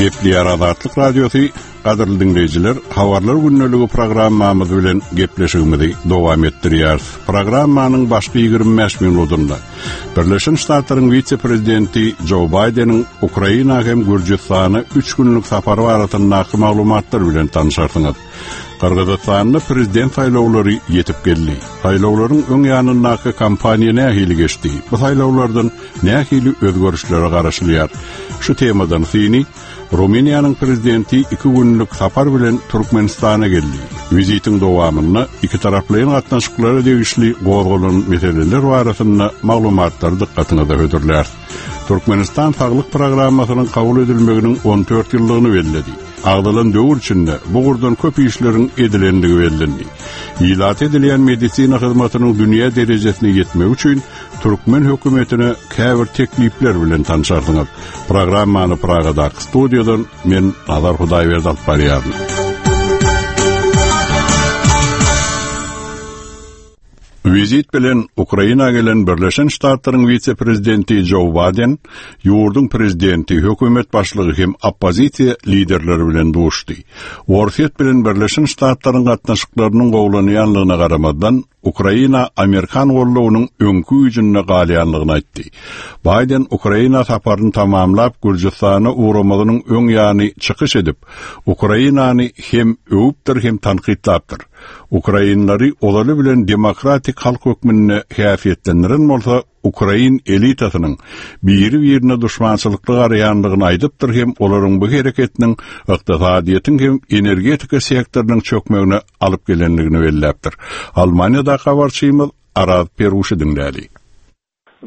Gepleýär Azatlyk Radiosy, gadyrly diňleýjiler, Habarlar gündeligi programmamyz bilen gepleşigimizi dowam etdirýäris. Programmanyň başky 25 minutynda Birleşen Ştatlaryň wise-prezidenti Jo Baýdeniň Ukraina hem Gürjüstana üç günlük sapary barasyndaky maglumatlar bilen tanşarsyňyz. Gyrgyzystanda prezident saýlawlary ýetip geldi. Saýlawlaryň öň ýanyndaky kampaniýa nähili geçdi? Bu saýlawlardan nähili özgerişlere garaşylýar? Şu temadan syny Rumyniýanyň prezidenti iki günlük sapar bilen Türkmenistana geldi. Wizitiň dowamynda ikitaraplaýyn gatnaşyklara degişli gozgalan meseleler barasynda maglumatlary dykgatyňyza hödürläris. Türkmenistan saglyk programmasynyň kabul edilmeginiň 14 ýyllygyny belledi. Agzalan döwür içinde bu ugurdan köp işleriň edilendigi bellendi. Ilata edilýän medisina hyzmatynyň dünýä derejesine ýetmegi üçin türkmen hökümetine käbir teklipler bilen tanşarsyňyz. Programmany Pragadaky studiýadan men Nazar Hudaýberdi alyp barýaryn. Wizit bilen Ukraina gelen Birleşen Ştatlaryň wise-prezidenti Jo Baýden ýurduň prezidenti, hökümet başlygy hem oppozisiýa liderleri bilen duşdy. Orsýet bilen Birleşen Ştatlaryň gatnaşyklarynyň gowulanýanlygyna garamazdan, Ukraina amerikan goldawynyň öňki güýjünde galýanlygyny aýtdy. Baýden Ukraina saparyny tamamlap, Gürjüstana ugramazynyň öň ýany çykyş edip, Ukrainany hem öwüpdir, hem tankytlapdyr. Ukrainlary ozaly bilen demokratik halk hökmünde häsiýetlendiren bolsa, ukrain elitasynyň biri-birine duşmançylykly garaýandygyny aýdypdyr hem olaryň bu hereketiniň ykdysadyýetiň hem energetika sektorynyň çökmegine alyp gelendigini belläpdir. Almaniýadaky habarçymyz Araz Peruşy diňläli.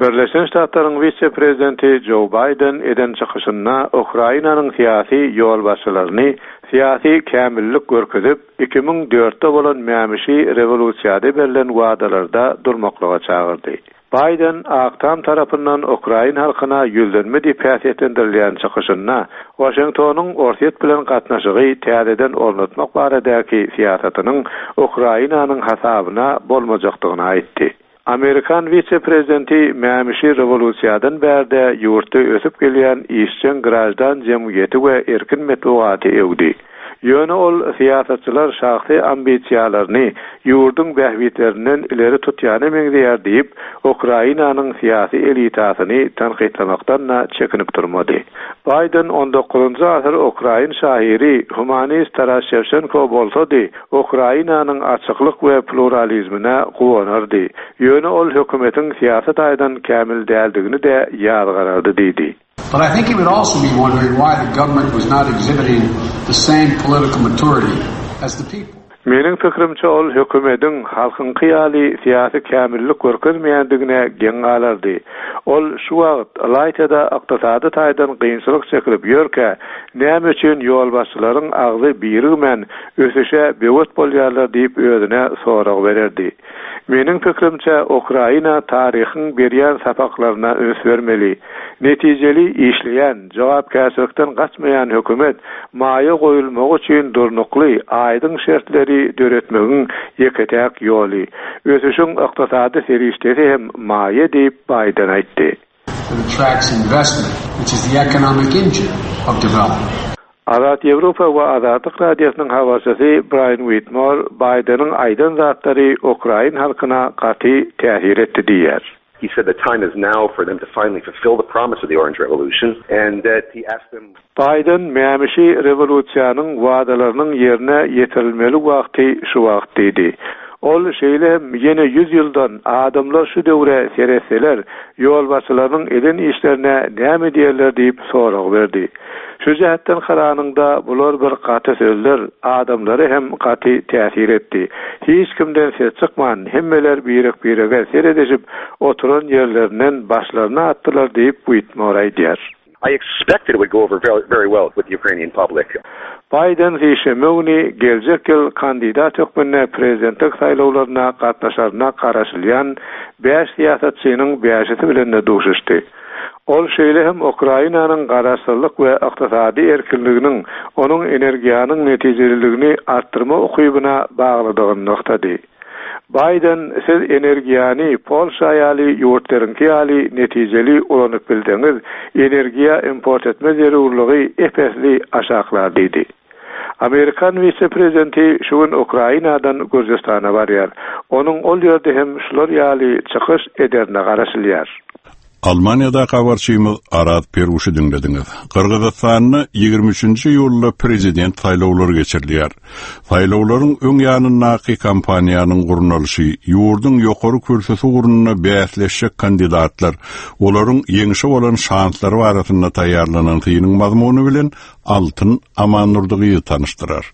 Birleşen Ştatlaryň wise-prezidenti Jo Baýden eden çykyşynda Ukrainanyň syýasy ýolbaşçylaryny syýasy kämillik görkezip, 2004-de bolan mämişi rewolýusiýada berlen wadalarda durmaklyga çagyrdy. Baýden Ak Tam tarapyndan ukrain halkyna ýüzlenme diýip häsiýetlendirilýän çykyşynda Waşingtonyň Orsýet bilen gatnaşygy täzeden ornatmak baradaky syýasatynyň Ukrainanyň hasabyna bolmajakdygyny aýtdy. Amerikan wise-prezidenti mämişi rewolýusiýadan bärde ýurtda ösüp gelýän işjeň graždan jemgyýeti we erkin metbugaty öwdi. Ýöne ol syýasatçylar şahsy ambisiýalaryny ýurduň bähbitlerinden ileri tutýana meňzeýär diýip, Ukrainanyň syýasy elitasyny tankytlamakdan-da çekinip durmady. Baýden on dokuzynjy asyr ukrain şahyry, humanist Taras Şewçenko bolsady, Ukrainanyň açyklyk we pluralizmine guwanardy, ýöne ol hökümetiň syýasy taýdan kämil däldigini-de ýazgarardy diýdi. But I think he would also be wondering why the government was not exhibiting the same political maturity as the people. Meniň pikirimçe ol hökümediň halkyňky ýaly syýasy kämillik görkezmeýändigine geň galardy. Ol şu wagt, ylaýta-da ykdysady taýdan kynçylyk çekilip ýörkä, näme üçin ýolbaşçylaryň agzy birigmän ösüşe böwet bolýarlar diýip özüne sorag bererdi. Meniň pikirimçe, Ukraina taryhyň berýän sapaklaryna üns bermeli. Netijeli işleýän, jogapkärçilikden gaçmaýan hökümet maýa goýulmagy üçin durnukly, aýdyň şertleri döretmegiň ýeke-täk ýoly. Ösüşiň ykdysady serişdesi hem maýa diýip, Baýden aýtdy. that attracts investment, which is the economic engine of development. Azat Ýewropa we Azatlyk Radiosynyň habarçysy Braýan Uitmor Baýdeniň aýdan zatlary ukrain halkyna gaty täsir etdi diýýär. He said the time is now for them to finally fulfill the promise of the Orange Revolution and that he asked them. Baýden mämişi rewolýusiýanyň wadalarynyň ýerine ýetirilmeli wagty şu wagt diýdi. Ol şeýle hem ýene ýüz ýyldan adamlar şu döwre seretseler, ýolbaşçylarynyň eden işlerine näme diýerler diýip sorag berdi. Şu jähtden garanyňda bular bir gaty sözler, adamlara hem gaty täsir etdi. Hiç kimden ses çykman, hemmeler birek-birege seredişip oturan ýerlerinden başlaryny atdylar diýip, Uitmor aýdýar. I expect that it would go over very well with the Ukrainian public. Baýden sişenbe güni geljek ýyl kandidat hökmünde prezidentlik saýlawlaryna gatnaşaryna garaşylýan bäş syýasatçynyň bäşisi bilen-de duşuşdy. Ol şeýle hem Ukrainanyň garaşsyzlyk we ykdysady erkinliginiň onuň energiýanyň netijeliligini artdyrma ukybyna baglydygyny nygtady. Baýden siz energiýany Polşa ýaly ýurtlaryňky ýaly netijeli ulanyp bilseňiz, energiýa import etme zerurlygy ep-esli aşaklar diýdi. Amerikan wise-prezidenti şu gün Ukrainadan Gürjüstana barýar. Onuň ol ýerde hem şular ýaly çykyş ederine garaşylýar. Almaniýadaky habarçymyz Araz Peruşy diňlediňiz. Gyrgyzystanda 23-nji iýulda prezident saýlawlary geçirilýär. Saýlawlaryň öň ýanyndaky kampaniýanyň gurnalyşy, ýurduň ýokary kürsüsi ugrunda bäsleşjek kandidatlar, olaryň ýeňşe bolan şanslary barasynda taýýarlanan synyň mazmuny bilen Altyn Amandurdy gyzy tanyşdyrar.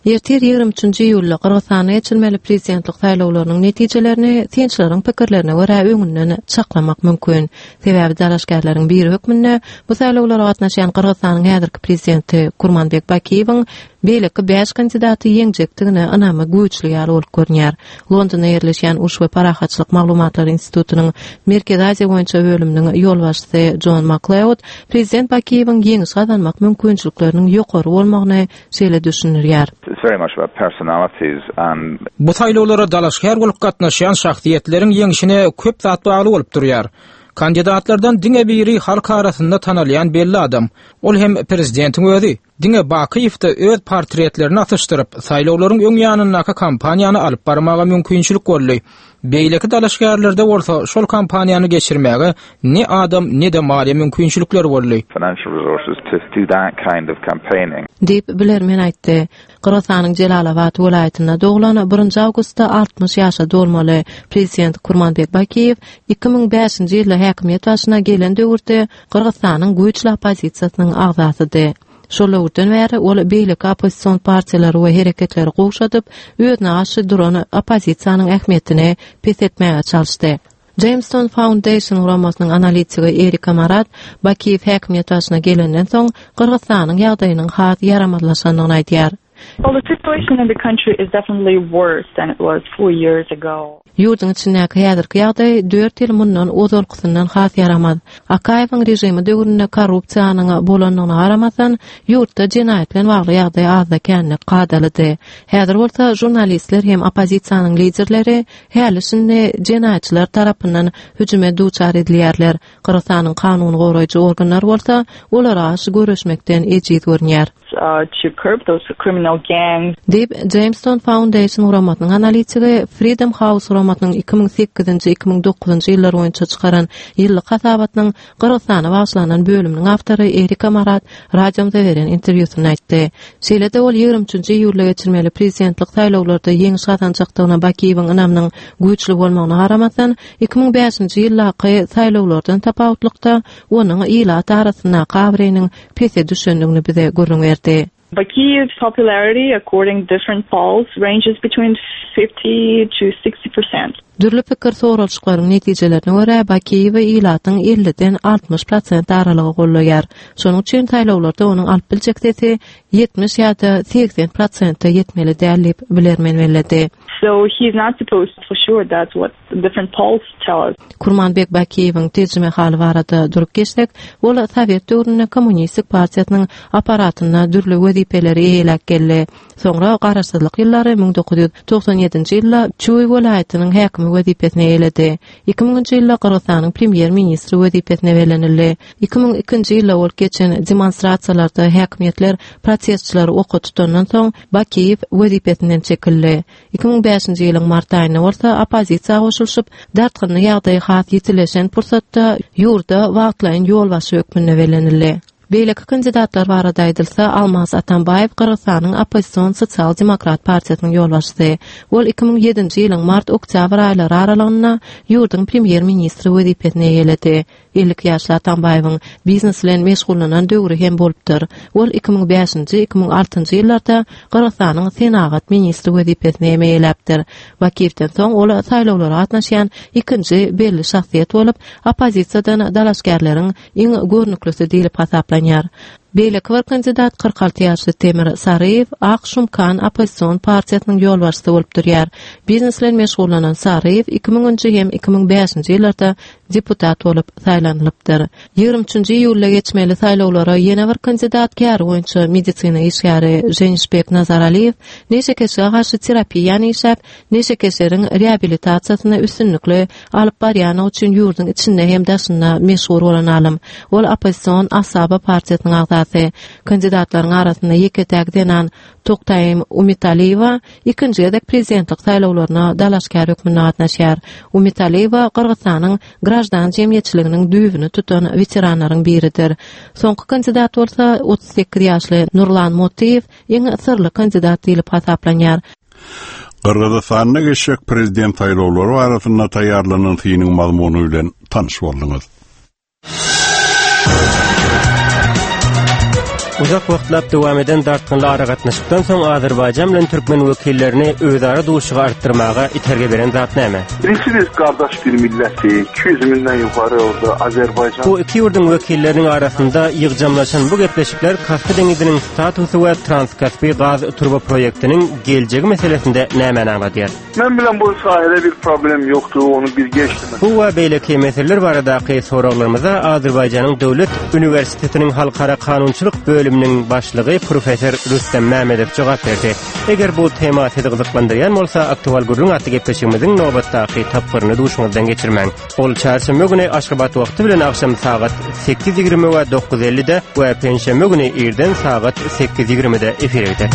Ertir 23-nji iýulda Gyrgyzystanda geçirilmeli prezidentlik saýlawlarynyň netijelerini synçylaryň pikirlerine görä öňünden çaklamak mümkin. Sebäbi dalaşgärleriň biri hökmünde bu saýlawlara gatnaşýan Gyrgyzystanyň häzirki prezidenti Kurmanbek Bakiýewiň beýleki bäş kandidaty ýeňjekdigine ynamy güýçli ýaly bolup görünýär. Londonda ýerleşýän Uruş we parahatçylyk maglumatlary institutynyň Merkezi Aziýa boýunça bölüminiň ýolbaşçysy Jon Makleod prezident Bakiýewiň ýeňiş gazanmak mümkinçilikleriniň ýokary bolmagyny şeýle düşündirýär. Bu saýlawlara dalaşgär bolup gatnaşýan şahsyýetleriň ýeňşine köp zat bagly bolup durýar. Kandidatlardan diňe biri halk arasynda tanalýan belli adam. Ol hem prezidentiň özi. Diňe Bakyýewde öz portretlerini asyşdyryp, saýlawlaryň öň ýanyndaky kampaniýany alyp barmaga mümkinçilik boldy. Beýleki dalaşgärlerde bolsa şol kampaniýany geçirmäge ne adam, ne-de maliýe mümkinçilikleri boldy. Diýip, bilermen aýtdy. Gyrgyzystanyň Jelalabat welaýatynda doglan, birinji awgustda 60 ýaşa dolmaly prezident Kurmanbek Bakiýew 2005-nji ýylda häkimiýet başyna gelen döwürde Gyrgyzystanyň güýçli oppozisiýasynyň agzasydy. Şol döwürden bäri ol beýleki oppozision partiýalary we hereketleri gowşadyp, özüne garşy duran oppozisiýanyň ähmiýetini peseltmäge çalyşdy. Jamestown Foundation guramasynyň analitigi Erika Marat Bakiýew häkimiýet başyna gelenden soň Gyrgyzystanyň ýagdaýynyň has ýaramazlaşandygyny aýdýar. Well, the situation in the country is definitely worse than it was four years ago. Ýurduň içindäki häzirki ýagdaý dört ýyl mundan ozalkysyndan has ýaramaz. Akaýewiň režimi döwründe korrupsiýanyň bolandygyna garamazdan, ýurtda jenaýat bilen bagly ýagdaý azda-kände kadalydy. Häzir bolsa žurnalistler hem oppozisiýanyň liderleri häli-şindi jenaýatçylar tarapyndan hüjüme duçar edilýärler. Gyrgyzystanyň kanun goraýjy organlary bolsa olara garşy göreşmekden ejiz görünýär. To curb those criminal gangs. Diýip, Jamestown Foundation guramasynyň analitigi Freedom House guramasynyň 2008-nji, 2009-njy ýyllar boýunça çykaran ýyllyk hasabatynyň Gyrgyzystana bagyşlanan bölüminiň awtory Erika Marat radiomyza beren interwýusynda aýtdy. Şeýle-de ol 23-nji iýulda geçirmeli prezidentlik saýlawlarda ýeňiş gazanjakdygyna Bakiýewiň ynamynyň güýçli bolmagyna garamazdan, 2005-nji ýyldaky saýlawlardan tapawutlykda onuň ilat arasyndaky abraýynyň pese düşendigini bize gürrüň berdi. Bakiýew's popularity according different polls ranges between 50 to 60 percent. Dürli pikir soralyşyklaryň netijelerine görä, Bakiýewi ilatyň elliden 60 prosent aralygy goldaýar. Şonuň üçin saýlawlarda onuň alyp biljek sesi 70 ýa-da 80 prosente ýetmeli däl diýip, bilermen belledi. So he is not supposed for sure that's what different polls tell us. Kurmanbek Bakiýewiň terjimehaly barada durup geçsek, ol sowet döwründe Kommunistik partiýasynyň apparatynda dürli wezipeleri eýeläp geldi. Soňra garaşsyzlyk ýyllary 1997-nji ýylda Çuý welaýatynyň häkimi wezipesini eýeledi. 2000-nji ýylda Gyrgyzystanyň premýer-ministri wezipesine bellenildi. 2002-nji ýylda bolup geçen demonstrasiýalarda häkimiýetler protestçileri oka tutandan soň, Bakiýew wezipesinden çekildi. 2005-nji ýylyň mart aýynda bolsa oppozisiýa goşulyşyp, dartgynly ýagdaý has ýitileşen pursatda ýurda wagtlaýyn ýolbaşçy hökmünde bellenildi. Beýleki kandidatlar barada aýdylsa, Almaz Atambaýew Gyrgyzystanyň oppozision Sosial-demokrat partiýasynyň ýolbaşçysy. Ol 2007-nji ýylyň mart-oktýabr aýlary aralygynda ýurduň premýer-ministri wezipesini eýeledi. 52 ýaşly Atambaýewiň biznes bilen meşgullanan döwri hem bolupdyr. Ol 2005-nji, 2006-njy ýyllarda Gyrgyzystanyň senagat ministri wezipesini hem eýeläpdir. Bakiýewden soň ol saýlawlara gatnaşýan ikinji belli şahsyýet bolup, oppozisiýadan dalaşgärleriň iň görnüklisi diýlip hasaplanýar. Beýleki bir kandidat 46 ýaşly Temir Saryýew Ak Şumkan oppozision partiýasynyň ýolbaşçysy bolup durýar. Biznes bilen meşgullanan Saryýew 2000-nji hem 2005-nji ýyllarda deputat bolup saýlanylypdyr. 23-nji iýulda geçmeli saýlawlara ýene bir kandidat käri boýunça medisina işgäri Ženişbek Nazaraliýew neşekeşlige garşy terapiýany işläp, neşekeşleriň reabilitasiýasyny üstünlikli alyp barýanlygy üçin ýurduň içinde hem daşynda meşhur bolan alym. Ol oppozision Asaba partiýasynyň agzasy. Kandidatlaryň arasynda ýeke-täk zenan Toktaýym Umitaliýewa ikinji gezek prezidentlik saýlawlaryna dalaşgär hökmünde gatnaşýar. Umitaliýewa Gyrgyzystanyň graždan jemgyýetçiliginiň düýbüni tutan weteranlaryň biridir. Soňky kandidat bolsa 38 ýaşly Nurlan Motyýew iň syrly kandidat diýlip hasaplanýar. Gyrgyzystanda geçjek prezident saýlawlary barasynda taýýarlanan synyň mazmuny bilen tanyş bolduňyz. Uzak wagtlap dowam eden dartgynly aragatnaşykdan soň Azerbaýjan bilen türkmen wekillerini özara duşuşygy artdyrmaga itergi beren zat näme? Birincisi biz qardaş bir millətik, 200 mindən yuxarı orada Azərbaycan. Bu iki ýurduň wekilleriniň arasynda ýygjamlaşan bu gepleşikler Kaspi deňiziniň statusy we Transkaspi gaz turba proýektiniň geljegi meselesinde nämäni aňladýar? Mən bilən bu sahədə bir problem yoxdur, onu bir geçdim. Bu we beýleki meseleler baradaky soraglarymyza Azerbaýjanyň Döwlet uniwersitetiniň Halkara kanunçylyk bölüminiň başlygy professor Rüstem Mämedow jogap berdi. Eger bu tema sizi gyzyklandyrýan bolsa, Aktual gürrüň atly gepleşigimiziň nobatdaky tapgyryny duşuňyzdan geçirmäň. Ol çarşenbe güni Aşgabat wagty bilen agşam sagat 8:20 we 9:50-de we penşenbe güni irden sagat 8:20-de efire gider.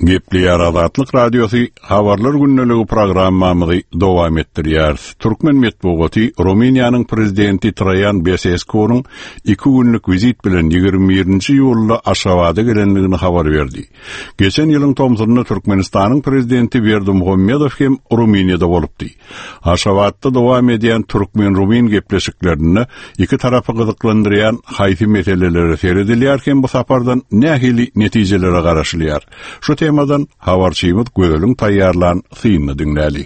Gepleýär Azatlyk Radiosy Habarlar gündeligi programmamyzy dowam etdirýäris. Türkmen metbugaty Rumyniýanyň prezidenti Traýan Beseskunyň iki günlük wizit bilen 21-nji iýulda Aşgabada gelendigini habar berdi. Geçen ýylyň tomsunda Türkmenistanyň prezidenti Berdimuhamedow hem Rumyniýada bolupdy. Aşgabatda dowam edýän türkmen-rumyn gepleşiklerinde iki tarapy gyzyklandyrýan haýsy meselelere seredilýär hem bu sapardan nähili netijelere garaşylýar? Şu temadan habarçymyz Gözeliň taýýarlan synyny diňläli.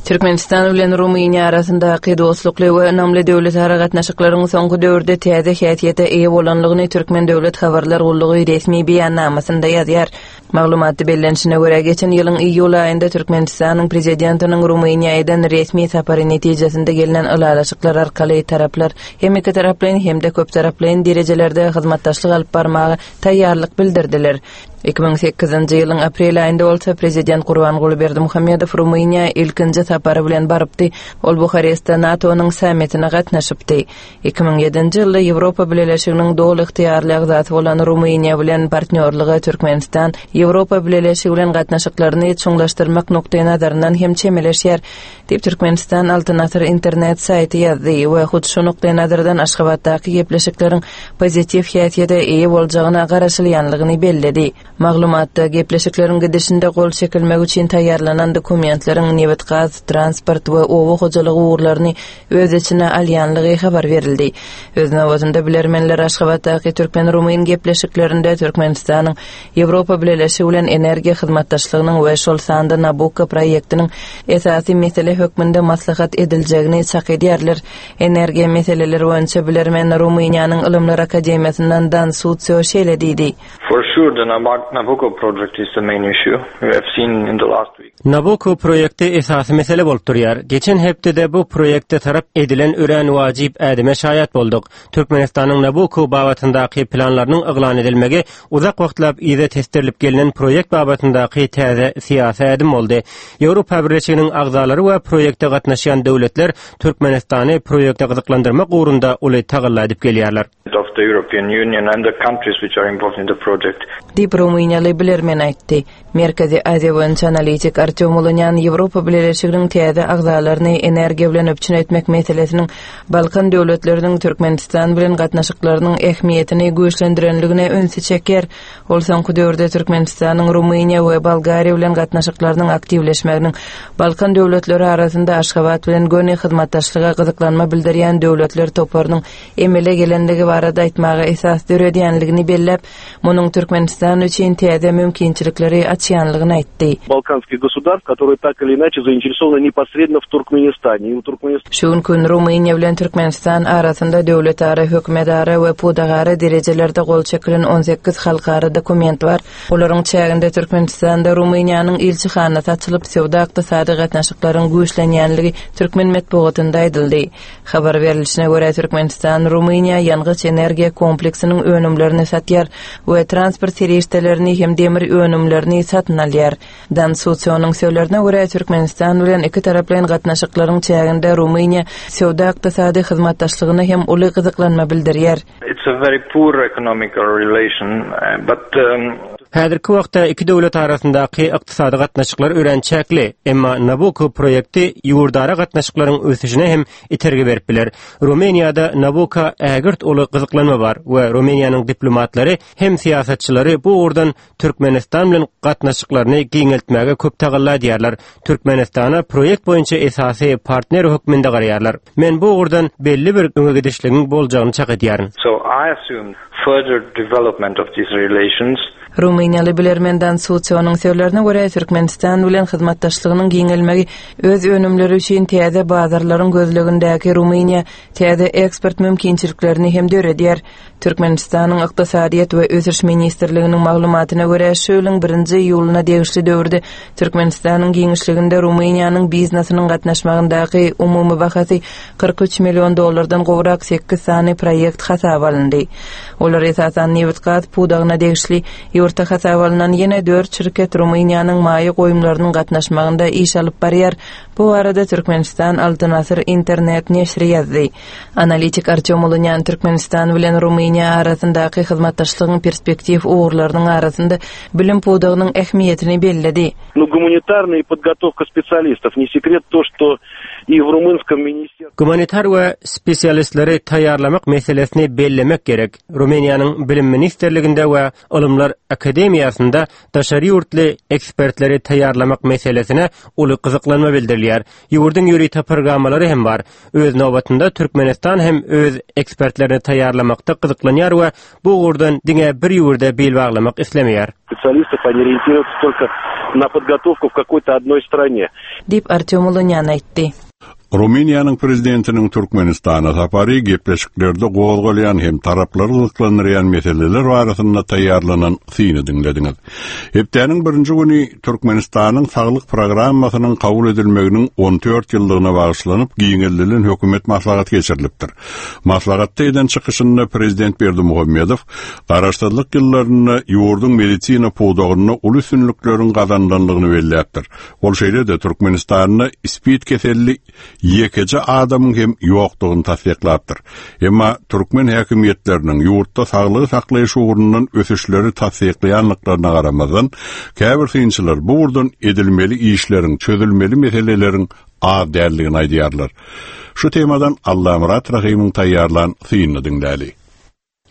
Türkmenistan bilen Rumyniýa arasyndaky dostlukly we ynamly döwletara gatnaşyklaryň soňky döwürde täze häsiýete eýe bolandygyny Türkmen döwlet habarlar gullugy resmi beýannamasynda ýazýar. Maglumatda bellenişine görä, geçen ýylyň iýul aýynda Türkmenistanyň Prezidentiniň Rumyniýa eden resmi sapary netijesinde gelnen ylalaşyklar arkaly taraplar hem ikitaraplaýyn, hem-de köptaraplaýyn derejelerde hyzmatdaşlyk alyp barmaga taýýarlyk bildirdiler. 2008-nji ýylyň aprel aýynda bolsa prezident Gurbanguly Berdimuhamedow Rumyniýa ilkinji sapary bilen barypdy. Ol Buharestde NATO-nyň sammitine gatnaşypdy. 2007-nji ýylda Ýewropa Bileleşiginiň doly ygtyýarly agzasy bolan Rumyniýa bilen partnýorlyga Türkmenistan Ýewropa Bileleşigi bilen gatnaşyklaryny çuňlaşdyrmak nukdaýnazaryndan hem çemeleşýär, diýip, Türkmenistan Altyn asyr internet saýty ýazdy we hut şu nukdaýnazardan Aşgabatdaky gepleşikleriň pozitiw häsiýete eýe boljagyna garaşylýanlygyny belledi. Maglumatda gepleşikleriň gidişinde gol çekilmegi üçin taýýarlanan dokumentleriň nebit-gaz, transport we oba hojalygy ugurlaryny öz içine alýanlygy habar berildi. Öz nobatynda bilermenler Aşgabatdaky türkmen-rumyn gepleşiklerinde Türkmenistanyň Ýewropa Bileleşigi bilen energiýa hyzmatdaşlygynyň we şol sanda Nabukko proýektiniň esasy mesele hökmünde maslahat ediljegini çak edýärler. Energiýa meseleleri boýunça bilermen Rumyniýanyň Ylymlar akademiýasyndan Dan Sutsio şeýle diýdi. For sure the Nabucco project is the main issue. We have seen in the last week. Nabucco proýekti esasy mesele bolup durýar. Geçen hepdede bu proýekte tarap edilen örän wajyp ädime şaýat bolduk. Türkmenistanyň Nabucco babatyndaky planlarynyň yglan edilmegi uzak wagtlap yza tesdirilip gelnen proýekt babatyndaky täze syýasy ädim boldy. Ýewropa Birleşiginiň agzalary we proýekte gatnaşýan döwletler Türkmenistany proýekte gyzyklandyrmak ugrunda uly tagalla edip gelýärler. of the European Union and the countries which are involved in the project. Diýip, rumyniýaly bilermen aýtdy. Merkezi Aziýa boýunça analitik Artýom Ulunýan Ýewropa Bileleşiginiň täze agzalaryny energiýa bilen üpjün etmek meselesiniň Balkan döwletleriniň Türkmenistan bilen gatnaşyklarynyň ähmiýetini güýçlendirenligine ünsi çekýär. Ol soňky döwürde Türkmenistanyň Rumyniýa we Bolgariýa bilen gatnaşyklarynyň aktiwleşmeginiň Balkan döwletleri arasynda Aşgabat bilen göni hyzmatdaşlyga gyzyklanma bildirýän döwletler toparynyň emele gelendigi barada. aýtmaga esas döredýänligini belläp, munuň Türkmenistan üçin täze mümkinçilikleri açýanlygyny aýtdy. Balkanskih gosudarstw, которые tak ili inaçe zainteresovany neposredno w Turkmenistane i u Turkmenistan. Şu günki gün Rumyniýa bilen Türkmenistan arasynda döwletara, hökümetara we pudagara derejelerde gol çekilen 18 halkara dokument bar. Olaryň çäginde Türkmenistanda Rumyniýanyň ilçihanasy açylyp, söwda-ykdysady gatnaşyklaryň güýçlenýänligi türkmen metbugatynda aýdyldy. Habar berlişine görä, Türkmenistan Rumyniýa ýangyç-energiýa kompleksiniň önümlerini satýar we transport serişdelerini hem demir önümlerini satyn alýar. Dan Susionyň sözlerine görä, Türkmenistan bilen ikitaraplaýyn gatnaşyklaryň çäginde Rumyniýa söwda-ykdysady hyzmatdaşlygyna hem uly gyzyklanma bildirýär. It's a very poor economical relation, but. Häzirki wagtda iki döwlet arasyndaky ykdysady gatnaşyklar örän çäkli, emma Nabucco proýekti ýurdara gatnaşyklaryň ösüşine hem itergi berip biler. Rumyniýada Nabucco ägirt uly gyzyklanma bar we Rumyniýanyň diplomatlary hem syýasatçylary bu ugurdan Türkmenistan bilen gatnaşyklaryny giňeltmäge köp tagalla edýärler. Türkmenistana proýekt boýunça esasy partner hökmünde garaýarlar. Men bu ugurdan belli bir öňe gidişligiň boljagyny çak edýärin. So I assume further development of these relations. Rumyniýaly bilermen Dan Sucionyň sözlerine görä, Türkmenistan bilen hyzmatdaşlygynyň giňelmegi öz önümleri üçin täze bazarlaryň gözlegindäki Rumyniýa täze eksport mümkinçiliklerini hem döredýär. Türkmenistanyň Ykdysadyýet we ösüş ministrliginiň maglumatyna görä, şu ýylyň birinji iýulyna degişli döwürde Türkmenistanyň giňişliginde Rumyniýanyň biznesiniň gatnaşmagyndaky umumy bahasy 43 million dollardan gowrak sekiz sany proýekt hasaba alyndy. Olar esasan nebit-gaz pudagyna degişli. Ýurtda hasaba alnan ýene dört şirket Rumyniýanyň maýa goýumlarynyň gatnaşmagynda iş alyp barýar. Bu barada Türkmenistan Altyn Asyr internet neşiri ýazdy. Analitik Artýom Ulunýan Türkmenistan bilen Rumyniýa arasyndaky hyzmatdaşlygyň perspektiw ugurlarynyň arasynda bilim pudagynyň ähmiýetini belledi. Nu gumanitarnyý podgotowka spesialistov, ne sekret to, što i w rumynskom minister. Gumanitar we spesialistleri taýýarlamak meselesini bellemek gerek. Rumyniýanyň Bilim ministrliginde we Ylymlar akademiýasynda daşary ýurtly ekspertleri taýýarlamak meselesine uly gyzyklanma bildirilýär. Ýurduň ýörite programmalary hem bar. Öz nobatynda Türkmenistan hem öz ekspertlerini taýýarlamakda gyzyklanýar we bu ugurdan diňe bir ýurda bil baglamak islemeýär. Spesialistov oni orientirujutsa tolko na podgotowku w kakoý-to odnoý strane. Diýip, Artýom Ulunýan aýtdy. Rumyniýanyň Prezidentiniň Türkmenistana sapary gepleşiklerde gozgalýan hem taraplary gyzyklandyrýan meseleler barasynda taýýarlanan syny diňlediňiz. Hepdäniň birinji güni Türkmenistanyň saglyk programmasynyň kabul edilmeginiň 14 ýyllygyna bagyşlanyp giňeldilen hökümet maslahaty geçirilipdir. Maslahatda eden çykyşynda prezident Berdimuhamedow Garaşsyzlyk ýyllarynda ýurduň medisina pudagynda uly üstünlikleriň gazanylandygyny belläpdir. Ol şeýle-de Türkmenistanda spid keselli ýekeje adamyň hem ýokdugyny tassyklapdyr. Emma türkmen häkimiýetleriniň ýurtda saglygy saklaýyş ugrundan ösüşleri tassyklaýandyklaryna garamazdan, käbir synçylar bu ugurdan edilmeli işleriň, çözülmeli meseleleriň az däldigini aýdýarlar. Şu temadan Allamyrat Rahymyň taýýarlan synyny diňläli.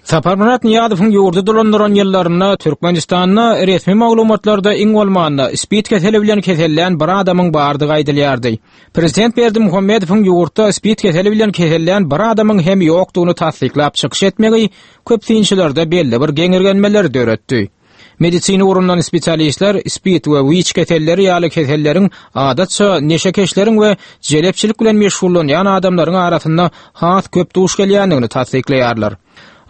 Saparmyrat Nyýazowyň ýurdy dolandyran ýyllarynda Türkmenistanda resmi maglumatlarda iň bolmanda spid keseli bilen kesellän bir adamyň bardygy aýdylýardy. Prezident Berdimuhamedowyň ýurtda spid keseli bilen kesellän bir adamyň hem ýokdugyny tassyklap çykyş etmegi köp synçylarda belli bir geňirgenmeleri döretdi. Medisina ugrundan spesialistler spid we wiç keselleri ýaly keselleriň adatça neşekeşleriň we jelepçilik bilen meşgullanýan adamlaryň arasynda has köp duş gelýändigini tassyklaýarlar.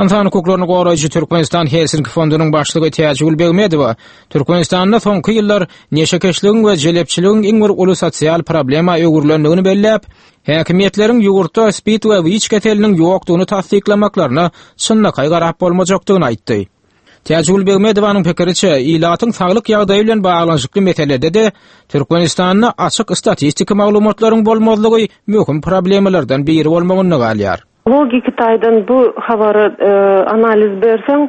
Ynsan hukuklaryny goraýjy Türkmenistan Helsinki fondunyň başlygy Täjigül Begmedowa Türkmenistanda soňky ýyllar neşekeşligiň we jelepçiligiň iň bir uly sosial problema öwrülendigini belläp, häkimiýetleriň ýurtda spid we wiç keseliniň ýokdugyny tassyklamaklaryna çynlakaý garap bolmajakdygyny aýtdy. Täjigül Begmedowanyň pikiriçe, ilatyň saglyk ýagdaýy bilen baglanyşykly meselede-de Türkmenistanda açyk statistiki maglumatlaryň bolmazlygy möhüm problemalardan biri bolmagynda galýar. Logiki taýdan bu habara analiz berseň,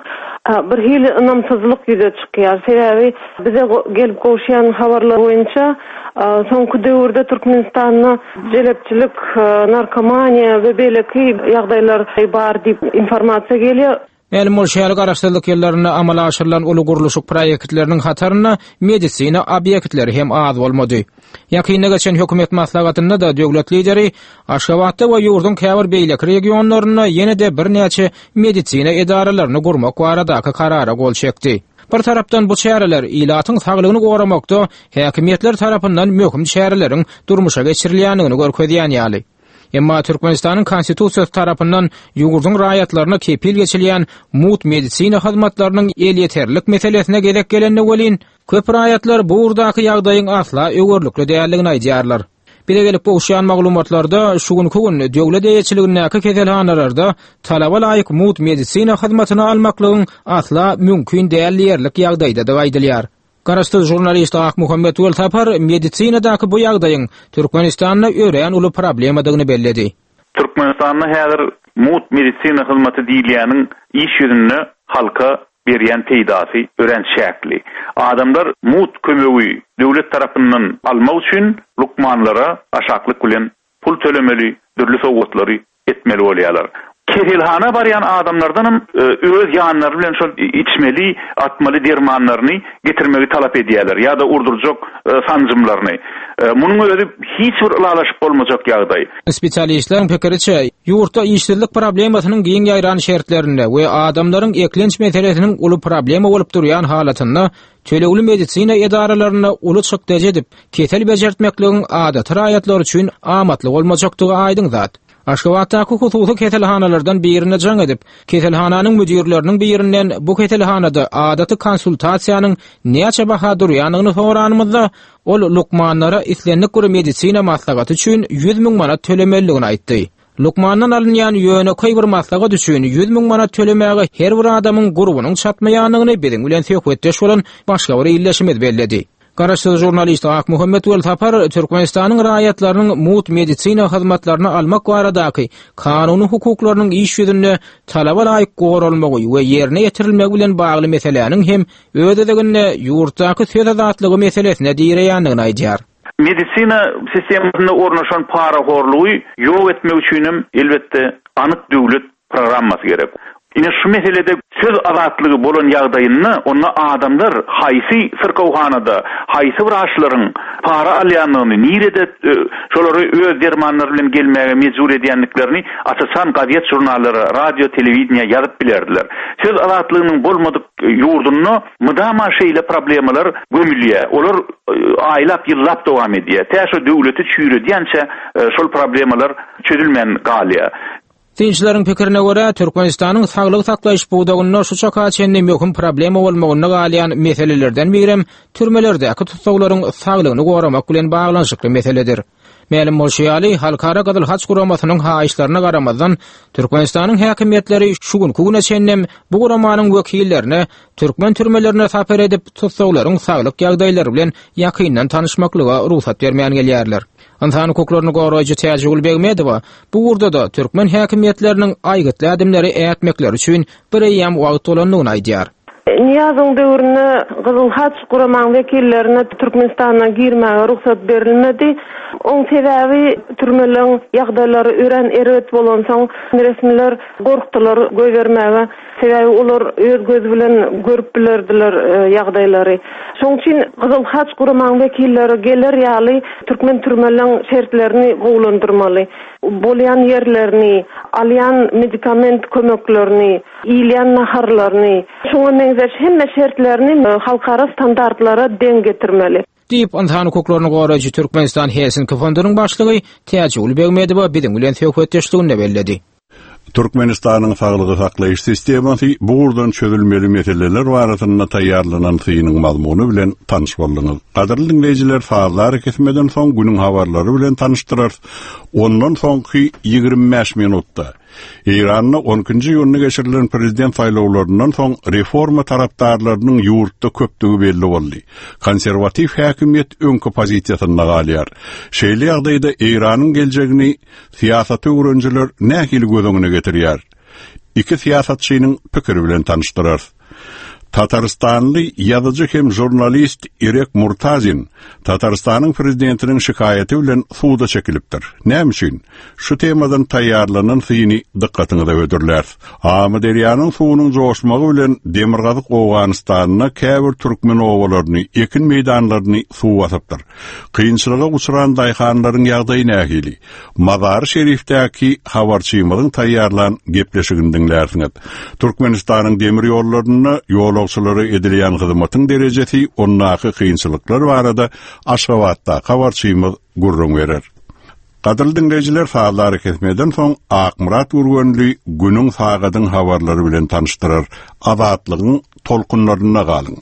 bir hili ynamsyzlyk ýüze çykýar. Sebäbi bize gelip gowuşýan habarlar boýunça soňky döwürde Türkmenistanda jelepçilik, narkomaniýa we beýleki ýagdaýlar bar diýip informasiýa gelýär. Mälim bolşy ýaly, Garaşsyzlyk ýyllarynda amala aşyrylan uly gurluşyk proýektleriniň hatarynda medisina obýektleri hem az bolmady. Ýakynda geçen hökümet maslahatynda-da döwlet Lideri Aşgabatda we ýurduň käbir beýleki regionlarynda ýene-de birnäçe medisina edaralaryny gurmak baradaky karara gol çekdi. Bir tarapdan bu çäreler ilatyň saglygyny goramakda häkimiýetler tarapyndan möhüm çäreleriň durmuşa geçirilýändigini görkezýän ýaly. Emma Türkmenistanyň Konstitusiýasy tarapyndan ýurduň raýatlaryna kepil geçilýän mugt medisina hyzmatlarynyň elýeterlilik meselesine gezek gelende welin, köp raýatlar bu ugurdaky ýagdaýyň asla öwerlikli däldigini aýdýarlar. Bize gelip gowuşýan maglumatlarda şu günki gün döwlet eýeçiligindäki keselhanalarda talaba laýyk mugt medisina hyzmatyny almaklygyň asla mümkin däl diýerlik ýagdaýdadygy aýdylýar. Garaşsyz žurnalist Akmuhammet Welsapar medisinadaky bu ýagdaýyň Türkmenistanda örän uly problemadygyny belledi. Türkmenistanda häzir mugt medisina hyzmaty diýilýäniň iş ýüzünde halka berýän peýdasy örän çäkli. Adamlar mugt kömegi döwlet tarapyndan almak üçin lukmanlara aşaklyk bilen pul tölemeli, dürli sowgatlary etmeli bolýarlar. Keselhana barýan adamlardanam öz ýanlary bilen şol içmeli, atmaly dermanlaryny getirmegi talap edýärler ýa-da urdurjak sanjymlaryny. Munuň özi hiç bir ylalaşyp bolmajak ýagdaý. Spesialistleriň pikiriçe, ýurtda işsizlik problemasynyň giň ýaýran şertlerinde we adamlaryň eklenç meselesiniň uly problema bolup durýan halatynda tölegli medisina edaralarynda uly çykdajy edip, kesel bejertmekligiň adaty raýatlar üçin amatly bolmajakdygy aýdyň zat. Aşgabatdaky hususy keselhanalardan birine jaň edip, keselhananyň müdirleriniň birinden bu keselhanada adaty konsultasiýanyň näçe baha durýandygyny soranymyzda, ol lukmanlara islendik bir medisina maslahaty üçin 100 müň manat tölemelidigini aýtdy. Lukmandan alynýan ýönekeý bir maslahat üçin 100 müň manat tölemäge her bir adamyň gurbunyň çatmaýandygyny biziň bilen söhbetdeş bolan başga bir ildeşimiz belledi. Garaşsyz žurnalist Akmuhammet Welsapar Türkmenistanyň raýatlarynyň mugt medisina hyzmatlaryny almak baradaky kanuny hukuklarynyň iş ýüzünde talaba laýyk goralmagy we ýerine ýetirilmegi bilen bagly meseläniň hem öz gezeginde ýurtdaky söz azatlygy meselesine direýändigini aýdýar. Medisina sistemasynda ornaşan parahorlugy ýok etmek üçinem, elbetde, anyk döwlet programmasy gerek. Ine şu meselede söz azatlygy bolan ýagdaýynda onda adamlar haýsy syrkawhanada haýsy wraçlaryň para alýandygyny, nirede şolary öz dermanlary bilen gelmäge mejbur edýändiklerini aç-açan gazet-žurnallara, radio, telewideniýä ýazyp bilerdiler. Söz azatlygynyň bolmadyk ýurdunda mydama şeýle problemalar gömülýär. Olar aýlap, ýyllap dowam edýär. Tä şo döwleti çüýredýänçä şol problemalar çözülmän galýar. Synçylaryň pikirine görä, Türkmenistanyň saglygy saklaýyş pudagynda şu çaka çenli möhüm problema bolmagynda galýan meselelerden birem türmelerdäki tussaglaryň saglygyny goramak bilen baglanyşykly meseledir. Mälim bolşy ýaly, Halkara Gyzyl Haç Guramasynyň haýyşlaryna garamazdan, Türkmenistanyň häkimiýetleri şu günki güne çenlem bu guramanyň wekillerine türkmen türmelerine sapar edip, tussaglaryň saglyk ýagdaýlary bilen ýakyndan tanyşmaklyga rugsat bermän gelýärler. Ynsan hukuklaryny goraýjy Täjigül Begmedowa bu ugurda-da türkmen häkimiýetleriniň aýgytly ädimleri ätmekleri üçin bireýýäm wagt bolandygyny aýdýar. Nyýazowyň döwründe Gyzyl Haç guramaň wekillerine Türkmenistana girmäge rugsat berilmedi. Oň sebäbi türmeleň ýagdaýlary örän erbet bolansoň resmiler gorkdular goýbermäge. Sebäbi olar öz gözi bilen görüp bilerdiler ýagdaýlary. Şoň üçin Gyzyl Haç guramaň wekilleri geler ýaly türkmen türmeleň şertlerini gowulandyrmaly. Bolýan ýerlerini, alýan medikament kömeklerini, iýilýän naharlaryny, şuňa meňzeş hemme şertlerini halkara standartlara deň getirmeli. Diýip, ynsan hukuklaryny goraýjy Türkmenistan Helsinki fondunyň başlygy Täjigül Begmedowa biziň bilen söhbetdeşliginde belledi. Türkmenistanyň saglygy saklaýyş sistemasy bu ugurdan çözülmeli meseleler barasynda taýýarlanan synyň mazmuny bilen tanyş bolduňyz. Gadyrly diňleýjiler, sazly arakesmeden soň günüň habarlary bilen tanyşdyrarys. Ondan soňky 25 minutda Eýranda on ikinji iýunda geçirilen prezident saýlawlaryndan soň reforma tarapdarlarynyň ýurtda köpdügi belli boldy. Konserwatiw häkimiýet öňki pozisiýasynda galýar. Şeýle ýagdaýda Eýranyň geljegini Syýasaty öwrenijiler nähili göz öňüne getirýär? Iki syýasatçynyň pikiri bilen tanyşdyrarys. Tatarystanly ýazyjy hem žurnalist Irek Murtazin Tatarystanyň prezidentiniň şikaýaty bilen suda çekilipdir. Näme üçin? Şu temadan taýýarlanan syny dykgatyňyza hödürläris. Amyderýanyň suwunyň joşmagy bilen demirgazyk Owganystanda käbir türkmen obalaryny, ekin meýdanlaryny suw basypdyr. Kynçylyga uçran daýhanlaryň ýagdaýy nähili? Mazary-Şerifdäki habarçymyzyň taýýarlan gepleşigini diňlärsiňiz. Türkmenistanyň demir ýollarynda ýolagçylara edilýän hyzmatyň derejesi, ondaky kynçylyklar barada Aşgabatdaky habarçymyz gürrüň berer. Gadyrly diňleýjiler, sazly arakesmeden soň Akmyrat Gürgenli günüň sagadyň habarlary bilen tanyşdyrar. Azatlygyň tolkunlarynda galyň.